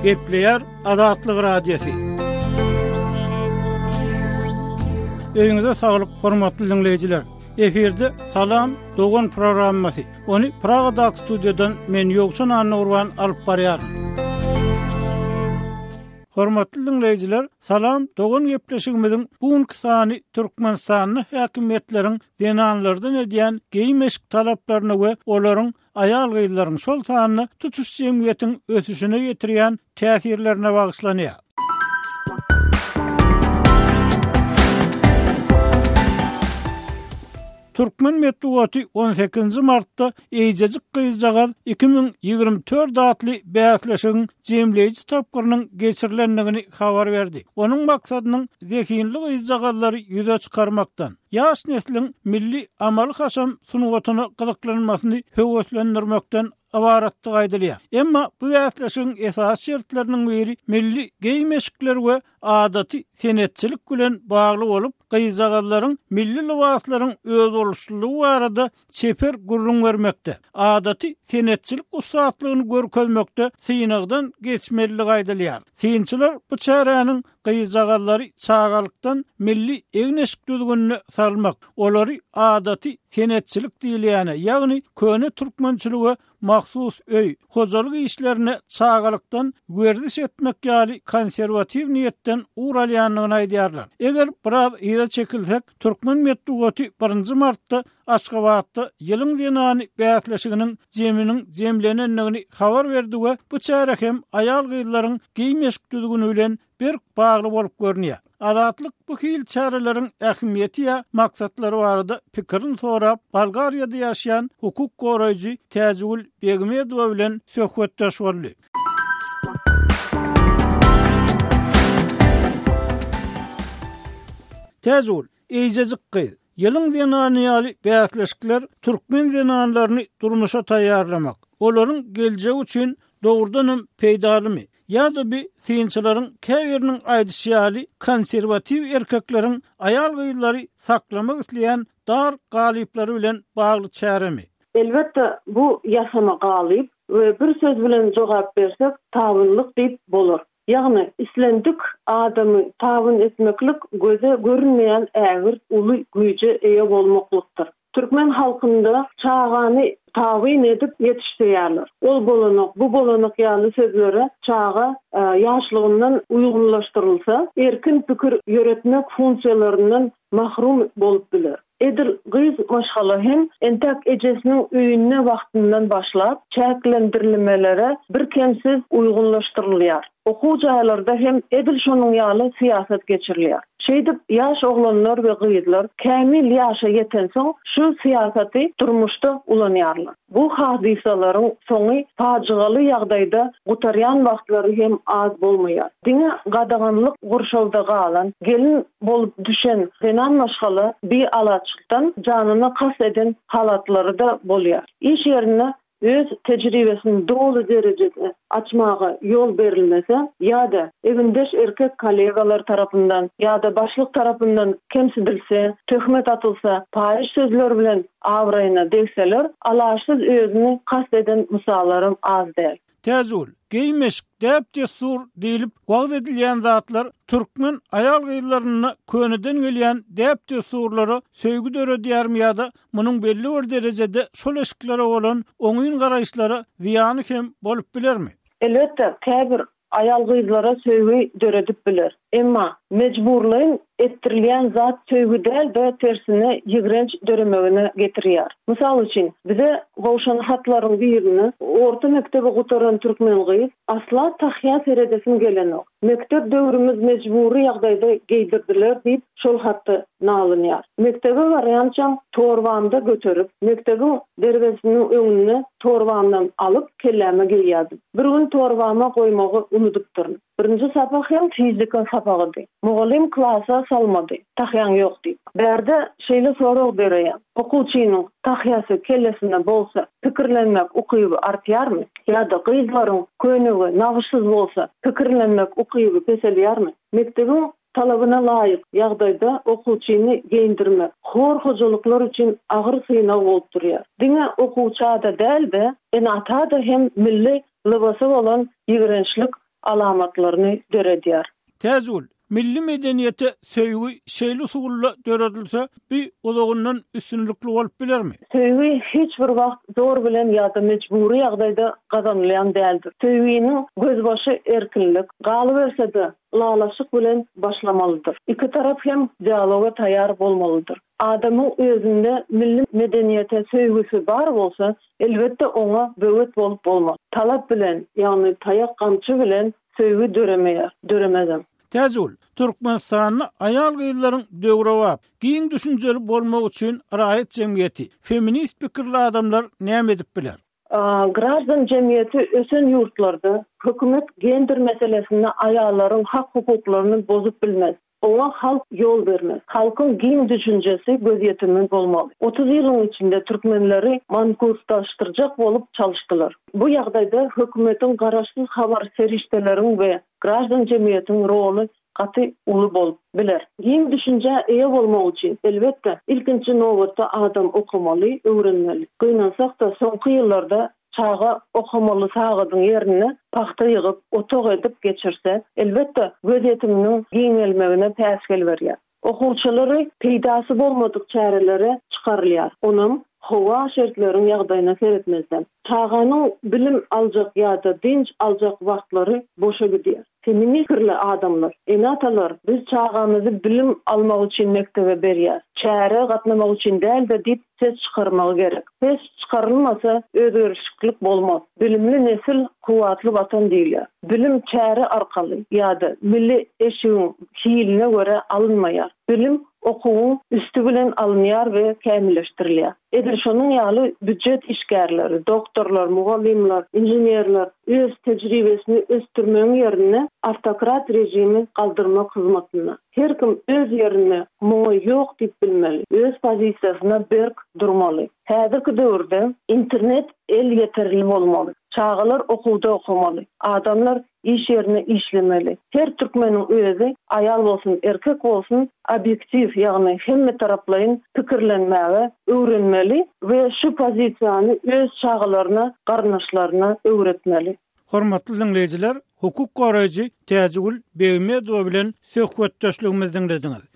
Gepleýär Azatlyk Radiosy. Öýüňize saglyk, hormatly diňleýjiler! Efirde Salam, dogan programmasy. Ony Pragadaky studiýadan men Ýowşan Annagurban alyp barýaryn. Hormatly diňleýjiler, Salam, dogan gepleşigimiziň bu günki sany Türkmenistanda häkimiýetleriň zenanlardan edýän geýim-eşik talaplaryna we olaryň aýal-gyzlaryň, şol sanda tutuş jemgyýetiň ösüşine ýetirýän täsirlerine bagyşlanýar. Türkmen metbugaty on sekizinji martda Eýjejik gyzjagaz 2024 atly bäsleşigiň jemleýji tapgyrynyň geçirilendigini habar berdi. Onuň maksadynyň zehinli gyzjagazlary ýüze çykarmakdan, ýaş nesliň milli amaly-haşam sungatyna gyzyklanmasyny höweslendirmekden ybaratdygy aýdylýar. Emma bu bäsleşigiň esasy şertleriniň biri milli geýim-eşikler we adaty senetçilik bilen bagly bolup, gyzjagazlaryň milli lybaslaryň özboluşlylygy barada çeper gürrüň bermekde, adaty senetçilik ussatlygyny görkezmekde synagdan geçmelidigi aýdylýar. Synçylar bu çäräniň gyzjagazlary çagalykdan milli egin-eşik düzgünine salmak, olary adaty senetçilik diýilýäne, ýagny köne türkmençilige mahsus öý, hojalyk işlerine çagalykdan werziş etmek ýaly konserwatiw niýetden ugur alýandygyny aýdýarlar. Eger biraz yza çekilsek, türkmen metbugaty birinji martda Aşgabatda Ýylyň zenany bäsleşiginiň jeminiň jemlenendigini habar berdi we bu çäre hem aýal-gyzlaryň geýim-eşik düzgüni bilen berk bagly bolup görünýär. Azatlyk bu hili çäreleriň ähmiýeti ýa maksatlary barada pikirini sorap, Bolgariýada ýaşaýan hukuk goraýjy Täjigül Begmedowa bilen söhbetdeş boldy. Täjigül, Eýjejik gyz, Ýylyň zenany ýaly bäsleşikler türkmen zenanlaryny durmuşa taýýarlamak, olaryň geljegi üçin dogrudanam peýdalymy? Ýa-da bi synçylaryň käbiriniň aýdyşy ýaly konserwatiw erkekleriň aýal-gyzlary saklamak isleýän dar galyplary bilen bagly çäremi? Elbetde, bu ýasama galyp we bir söz bilen jogap bersek tabynlyk diýip bolar. Ýagny, islendik adamy tabyn etmeklik göze görünmeýän ägirt uly güýje eýe bolmaklykdyr. Türkmen halkynda çagany tabyn edip ýetişdirýärler. Ol bolanok, bu bolanok ýaly sözlere çaga ýaşlygyndan uýgunlaşdyrylsa, erkin pikir ýöretmek funksiýalaryndan mahrum bolup biler. Edil gyz maşgala hem entäk ejesiniň öýünde wagtyndan başlap çäklendirilmelere birkemsiz uýgunlaşdyrylýar. Okuw jaýlarda hem edil şonuň ýaly syýasat geçirilýär. Şeýdip ýaş oglanlar we gyzlar kämil ýaşa ýetensoň şu syýasaty durmuşda ulanýarlar. Bu hadysalaryň soňy pajygaly ýagdaýda gutarýan wagtlary hem az bolmaýar. Diňe gadaganlyk gurşawda galan, gelin bolup düşen zenan maşgala bialaçlykdan janyna kast eden halatlary-da bolýar. Iş ýerinde öz tejribesini doly derejede açmaga ýol berilmese ýa-da egindeş erkek kollegalar tarapyndan ýa-da başlyk tarapyndan kemsidilse, töhmet atylsa, paýyş sözler bilen abraýyna degseler, alaçsyz özüni kast eden mysallaram az däl. Täjigül, geýim-eşik, däp-dessur diýlip wagyz edilýän zatlar türkmen aýal-gyzlarynda köneden gelýän däp-dessurlara söýgi döredýärmi ýa-da munuň belli bir derejede şol eşiklere bolan oňyn garaýyşlara zyýany hem bolup bilermi? Elbetde, käbir aýal-gyzlara söýgi döredip biler. Emma mejburlaýyn etdirilýän zat söýgi däl-de, tersine ýigrenç döremegine getirýär. Mysal üçin, bize gowşan hatlaryň birinde orta mekdebi gutaran türkmen gyz, Asla tahýa seredesim gelenok. Mekdep döwrümiz mejbury ýagdaýda geýdirdiler diýip, şol hatda nalynýar. Mekdebe barýançam torbamda göterip, mekdebiň derwezesiniň öňünde torbamdan alyp, kelläme geýýärdim. Bir gün torbama goýmagy unudypdyryn. Birinji sapak hem fizika sapagydy. Mugallym klasa salmady, tahýaň ýok diýip. Bärde şeýle sorag döreýär, okuwçynyň tahýasy kellesinde bolsa, pikirlenmek ukyby artýarmy? Ýa-da gyzlaryň köýnegi nagyşsyz bolsa, pikirlenmek ukyby peselýärmi? Mekdebiň talabyna laýyk ýagdaýda okuwçyny geýindirmek, hor hojalyklar üçin agyr synag bolup durýar. Diňe okuwça-da däl-de, ene-ata-da hem milli lybasa bolan ýigrençlik. alamatlaryny döredýär. Täjigül, milli medeniýete söýgi şeýle usulda döredilse, bu uzagyndan üstünlikli bolup bilermi? Söýgi hiç bir wagt zor bilen ýa-da mejbury ýagdaýda gazanylýan däldir. Söýginiň gözbaşy erkinlik, galyberse-de, ylalaşyk bilen başlamalydyr. Iki tarap hem dialoga taýýar bolmalydyr. Adamyň özünde milli medeniýete söýgüsi bar bolsa, elbetde oňa böwet bolup bolmaz. Talap bilen, ýagny taýak-gamçy bilen söýgi döremeýär, döremezem. Täjigül, Türkmenistanda aýal-gyzlaryň döwrebap, giň düşünjeli bolmagy üçin raýat jemgyýeti, feminist pikirli adamlar näme edip biler? Graždan jemgyýeti ösen ýurtlarda hökümet gender meselesinde aýallaryň hak-hukuklaryny bozup bilmez. Oňa halk ýol bermez. Halkyň giň düşünjesi, gözýetimi bolmaly. 30 ýylyň içinde türkmenleri mankurtlaşdyrjak bolup çalyşdylar. Bu ýagdaýda hökümetiň garaşsyz habar serişdeleriň we graždan jemgyýetiň roly gaty uly bolup biler. Giň düşünjä eýe bolmak üçin, elbetde, ilkinji nobatda adam okamaly, öwrenmeli. Gynansak-da, soňky ýyllarda çaga okamaly sagadyň ýerine pagta ýygyp, otag edip geçirse, elbetde, gözýetiminiň giňelmegine päsgel berýär. Okuwçylary peýdasy bolmadyk çärelere çykarylýar, onam howa şertleriň ýagdaýyna seretmezden. Çaganyň bilim aljak ýa-da dynç aljak wagtlary boşa gidýär. Feminist pikirli adamlar, ene-atalar biz çagamyzy bilim almak üçin mekdebe berýäs, çärä gatnamak üçin däl-de diýip ses çykarmagy gerek. Ses çykarylmasa özgerişiklik bolmaz. Bilimli nesil kuwwatly watan diýilýär. Bilim çäre arkaly ýa-da milli eşigiň hiline görä alynmaýar. Bilim okuwyň üsti bilen alynýar we kämilleşdirilýär. Edil şonuň ýaly býujet işgärleri, doktorlar, mugallymlar, inženerler öz tejribesini ösdürmegiň ýerine awtokrat režimi galdyrmak hyzmatynda. Her kim öz ýerinde muňa ýok diýip bilmeli, öz pozisiýasyna berk durmaly. Häzirki döwürde internet elýeterli bolmaly. Çagalar okuwda okamaly. Adamlar iş ýerinde işlemeli. Her türkmeniň özi, aýal bolsun, erkek bolsun, obýektiw, ýagny hemmetaraplaýyn pikirlenmäge öwrenmeli we şu pozisiýany öz çagalaryna, garyndaşlaryna öwretmeli. Hormatly diňleýjiler, hukuk goraýjy Täjigül Begmedowa bilen söhbetdeşligimizi diňlediňiz.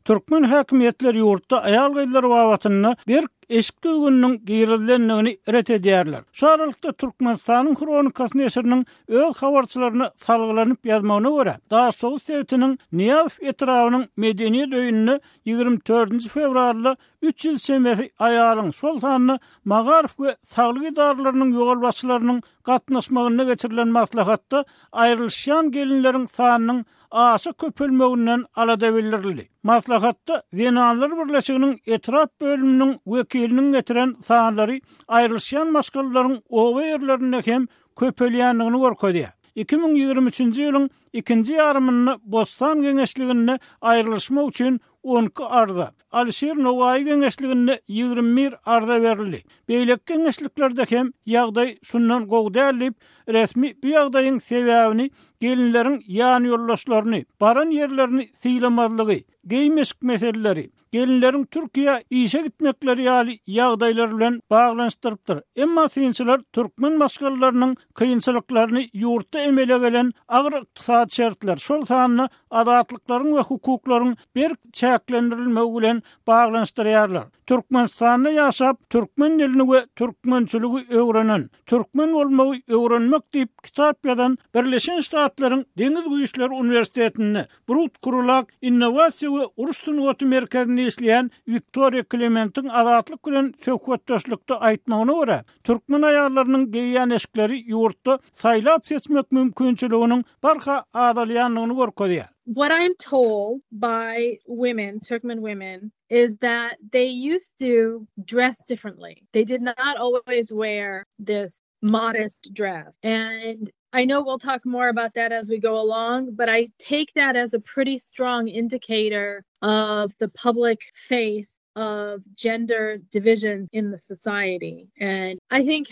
Türkmen häkimiýetleri ýurtda aýal-gyzlar babatynda berk eşik düzgüniniň girizilendigini ret edýärler. Şu aralykda, Türkmenistanyň Hronikasy neşiriniň öz habarçylaryna salgylanyp ýazmagyna görä, Daşoguz sebitiniň Nyýazow etrabynyň Medeniýet öýünde 24 fewralda 300 çemesi aýalyň, şol sanda magaryf we saglyk edaralarynyň ýolbaşçylarynyň gatnaşmagynda geçirilen maslahatda aýrylyşýan gelinleriň sanynyň aşa köpelmeginden alada bildirildi. Maslahatda Zenanlar birleşiginiň etrap bölüminiň wekiliniň getiren sanlary aýrylyşýan maşgalalaryň oba ýerlerinde hem köpelýändigini görkezýär. 2023-nji ýylyň ikinji ýarymynda Bossan geňeşliginde aýrylyşmak üçin 12 arza, Alyşir Nowaýy geňeşliginde 21 arza berildi. Beýleki geňeşliklerde hem ýagdaý şundan gowy däl diýip, resmi bu ýagdaýyň sebäbini gelinleriň ýanýoldaşlaryny, baran ýerlerini sylamazlygy, geýim-eşik meseleleri, gelinleriň Türkiýä işe gitmekleri ýaly ýagdaýlar bilen baglanyşdyrypdyr. Emma synçylar türkmen maşgalalarynyň kynçylyklaryny ýurtda emele gelen agyr ykdysady şertler, şol sanda azatlyklaryň we hukuklaryň berk çäklendirilmegi bilen baglanyşdyrýarlar. Türkmenistanda ýaşap, türkmen dilini we türkmençiligi öwrenen, Türkmen bolmagy öwrenmek diýip kitap ýazan Birleşen Ştatlaryň Deňiz güýçleri uniwersitetinde Brut Krulak innowasiýa we uruş sungaty merkezinde işleýän Wiktoriýa Klementiň Azatlyk bilen söhbetdeşlikde aýtmagyna görä, türkmen aýallarynyň geýýän eşikleri ýurtda saýlap-seçmek mümkinçiliginiň barha azalýandygyny görkezýär. What I'm told by women, Turkmen women, is that they used to dress differently. They did not always wear this modest dress. And I know we'll talk more about that as we go along, but I take that as a pretty strong indicator of the public face of gender divisions in the society. And I think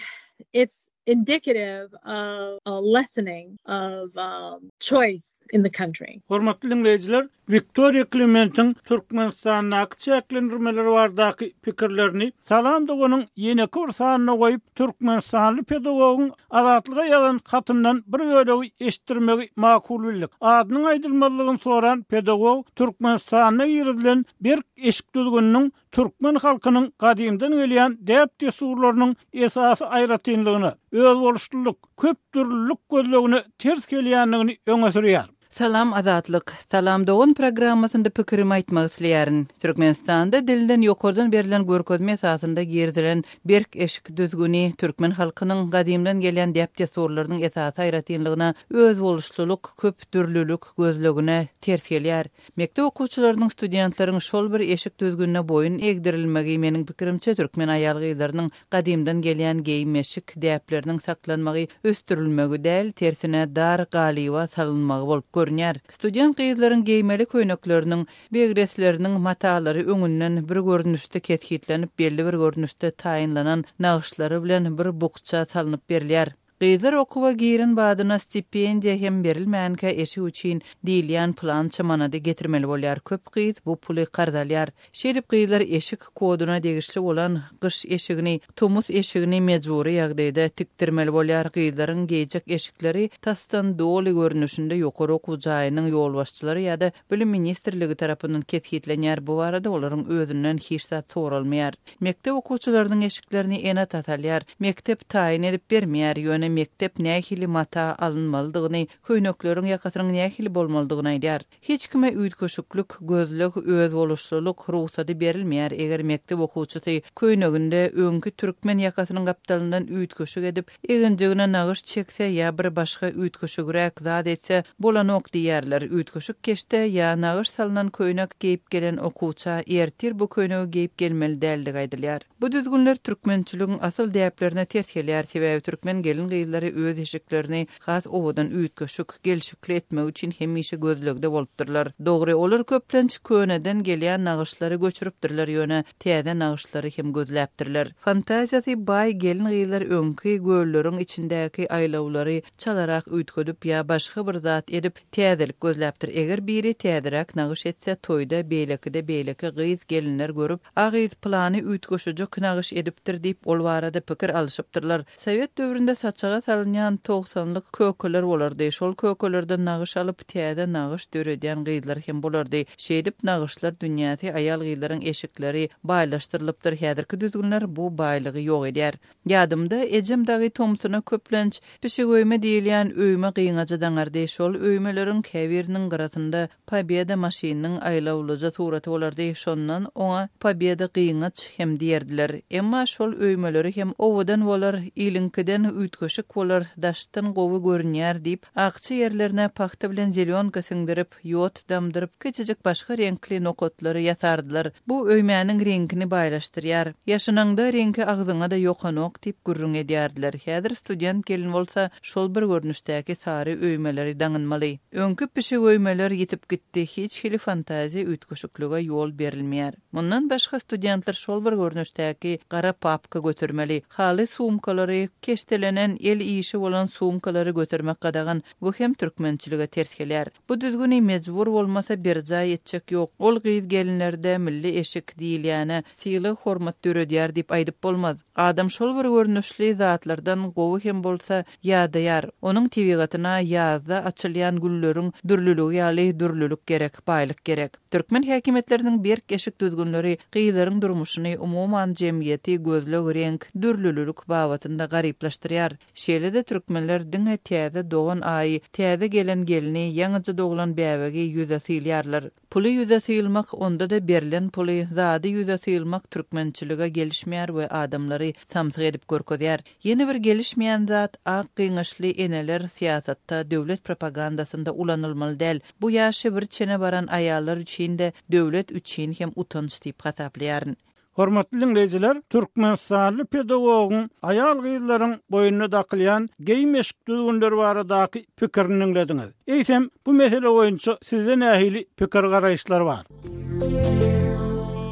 it's indicative of a lessening of um, choice in the country. Hormatly diňleýjiler, Wiktoriýa Klementiň Türkmenistandaky çäklendirmeler baradaky pikirlerini Salam doganyň ýeneki bir sanyna goýup, türkmenistanly pedagogyň Azatlyga ýazan hatyndan bir bölegi eşitdirmegi makul bildik. Adynyň aýdylmazlygyny soran pedagog Türkmenistanda girizilen berk eşik düzgüniniň türkmen halkynyň gadymdan gelýän däp-dessurlarynyň esasy aýratynlygyna, özboluşlylyk, köp dürlülik gözlegine ters gelýändigini öňe sürýär. Salam Azatlyk. Salam dogan programmasynda pikirimi aýtmak isleýärin. Türkmenistanda dilden ýokardan berlen görkezme esasynda girizilen berk eşik düzgüni türkmen halkynyň gadymdan gelýän däp-dessurlarynyň esasy aýratynlygyna özboluşlylyk, köp dürlülik gözlegine ters gelýär. Mekdep okuwçylarynyň, studentleriň şol bir eşik düzgünine boýun egdirilmegi meniň pikirimçe türkmen aýal-gyzlarynyň Gadymdan gelýän geýim-eşik däpleriniň saklanmagy, ösdürilmegi däl, tersine, dar galyba salynmagy bolup görünýär. Student gyzlaryň geýmeli köýnekleriniň, begresleriniň matalary öňünden bir görnüşde kesgitlenip, belli bir görnüşde taýynlanan nagyşlary bilen bir bukja salnyp berilýär. Gyzlar okuwa giren badyna stipendiýa hem berilmänkä eşik üçin diýilýän pylança manady getirmeli bolýar. Köp gyz bu puly karz alýar. Şeýdip gyzlar eşik koduna degişli bolan gyş eşigini, tomus eşigini mejbury ýagdaýda tikdirmeli bolýar. Gyzlaryň geýjek eşikleri tasdan doly görnüşinde ýokary okuw jaýynyň ýolbaşçylary ýa-da Bilim ministrligi tarapyndan kesgitlenýär, bu barada olaryň özünden hiç zat soralmaýar. Mekdep okuwçylarynyň eşiklerini ene-atasy alýar. Mekdep taýyn edip bermeýär, ýöne mekdep nähili mata alynmalydygyny, köýnekleriň ýakasynyň nähili bolmalydygyny aýdýar. Hiç kime üýtgeşiklik, gözleg, özboluşlylyk rugsady berilmeýär, eger mekdep okuwçysy köýneginde öňki türkmen ýakasynyň gapdalyndan üýtgeşik edip, Eginjigine nagyş çekse ýa bir başga üýtgeşigräk zat etse, bolanok diýýärler. Üýtgeşik keşde ýa nagyş salnan köýnek geýip gelen okuwça ertir bu köýnegi geýip gelmeli däldigi aýdylýar. Bu düzgünler türkmençiligiň asyl däplerine ters gelýär, sebäbi türkmen gelin-gyzlary öz eşiklerini has owadan üýtgeşik, gelşikli etmek üçin hemişe gözlegde bolupdyrlar. Dogry, olar köplenç köneden gelýän nagyşlary göçüripdirler, ýöne täze nagyşlary hem gözläpdirler. Fantaziýasy baý gelin-gyzlar öňki gölleriň içindäki aýlawlary çalarak üýtgedip ýa başga bir zat edip, täzelik gözläpdir. Eger biri täzeräk nagyş etse, toýda beýlekide beýleki gyz-gelinler görüp, A gyz pylany üýtgeşijek nagyş edipdir diýip, ol barada pikir alyşypdyrlar. Sowet döwründe saçaga salynýan togsanlyk kökeler bolardy. Şol kökelerden nagyş alyp, täze nagyş döredýän gyzlar hem bolardy. Şeýdip, nagyşlar dünýäsi, aýal-gyzlaryň eşikleri baýlaşdyrylypdyr. Häzirki düzgünler bu baýlygy ýok edýär. Ýadymda, ejem dagy tomsuna köplenç pişigöýme diýilýän öýme gyňajy daňardy. Şol öýmeleriň käbiriniň gyrasynda Pobeda maşynynyň aýlawlyja suraty bolardy, şondan oňa Pobeda gyňaç hem diýerdiler. Emma şol öýmeleri hem owadan bolar, iliňkiden üýtgeşik bolar, daşdan gowy görünýär diýip, akja ýerlerine pagta bilen zelýonka siňdirip, ýod damdyryp, kiçijik başga reňkli nokatlary ýasardylar. Bu öýmäniň reňkini baýlaşdyrýar. Ýaşynaňda reňki agzyňa-da ýokanok diýip gürrüň edýärdiler. Häzir student gelin bolsa şol bir görnüşdäki sary öýmeleri daňynmaly. Öňki pişigöýmeler ýitip gitdi, hiç hili fantaziýa üýtgeşiklige ýol berilmeýär. Mundan başga studentler şol bir görnüşdäki gara papka götermeli. Haly sumkalary, keşdelenen el işi bolan sumkalary götermek gadagan. Bu hem türkmençilige ters gelýär. Bu düzgüni mejbur bolmasa berjaý etjek ýok. Ol gyz-gelinlerde milli eşik diýilýäne sylag-hormat döredýär diýip aýdyp bolmaz. Adam şol bir görnüşli zatlardan gowy hem bolsa ýadaýar. Onuň tebigatyna ýazda açylýan gülleriň dürlüligi ýaly dürlülik gerek, baýlyk gerek. Türkmen häkimiýetleriniň berk eşik düzgünleri gyzlaryň durmuşyny, umuman, jemgyýeti gözleg, reňk, dürlülilik babatynda garyplaşdyrýar. Şeýle-de türkmenler diňe täze dogan aýy, täze gelen gelni, ýaňyja doglan bäbegi ýüze sylýarlar. Puly ýüze syýylmak, onda-da berlen puly, zady ýüze syýylmak türkmençilige gelişmeýär we adamlary samsyk edip görkezýär. Ýene bir gelişmeýän zat, ak gyňaçly eneler syýasatda, döwlet propagandasynda ulanylmaly däl. Bu ýaşy bir çene baran aýallar üçin-de, döwlet üçin hem utanç diýip hasaplaýaryn. Hormatly diňleýjiler, türkmenistanly pedagogyň aýal-gyzlaryň boýnuna dakylýan geýim-eşik düzgünleri baradaky pikirini diňlediňiz. Eýsem, bu mesele boýunça sizde nähili pikir-garaýyşlar bar?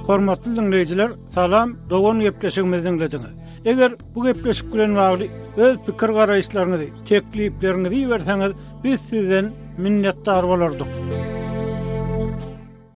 Hormatly diňleýjiler, Salam, dogan gepleşigimizi diňlediňiz. Eger bu gepleşik bilen bagly öz pikir-garaýyşlaryňyzy, teklipleriňizi iberseňiz, biz sizden. minnetdar bolardyk.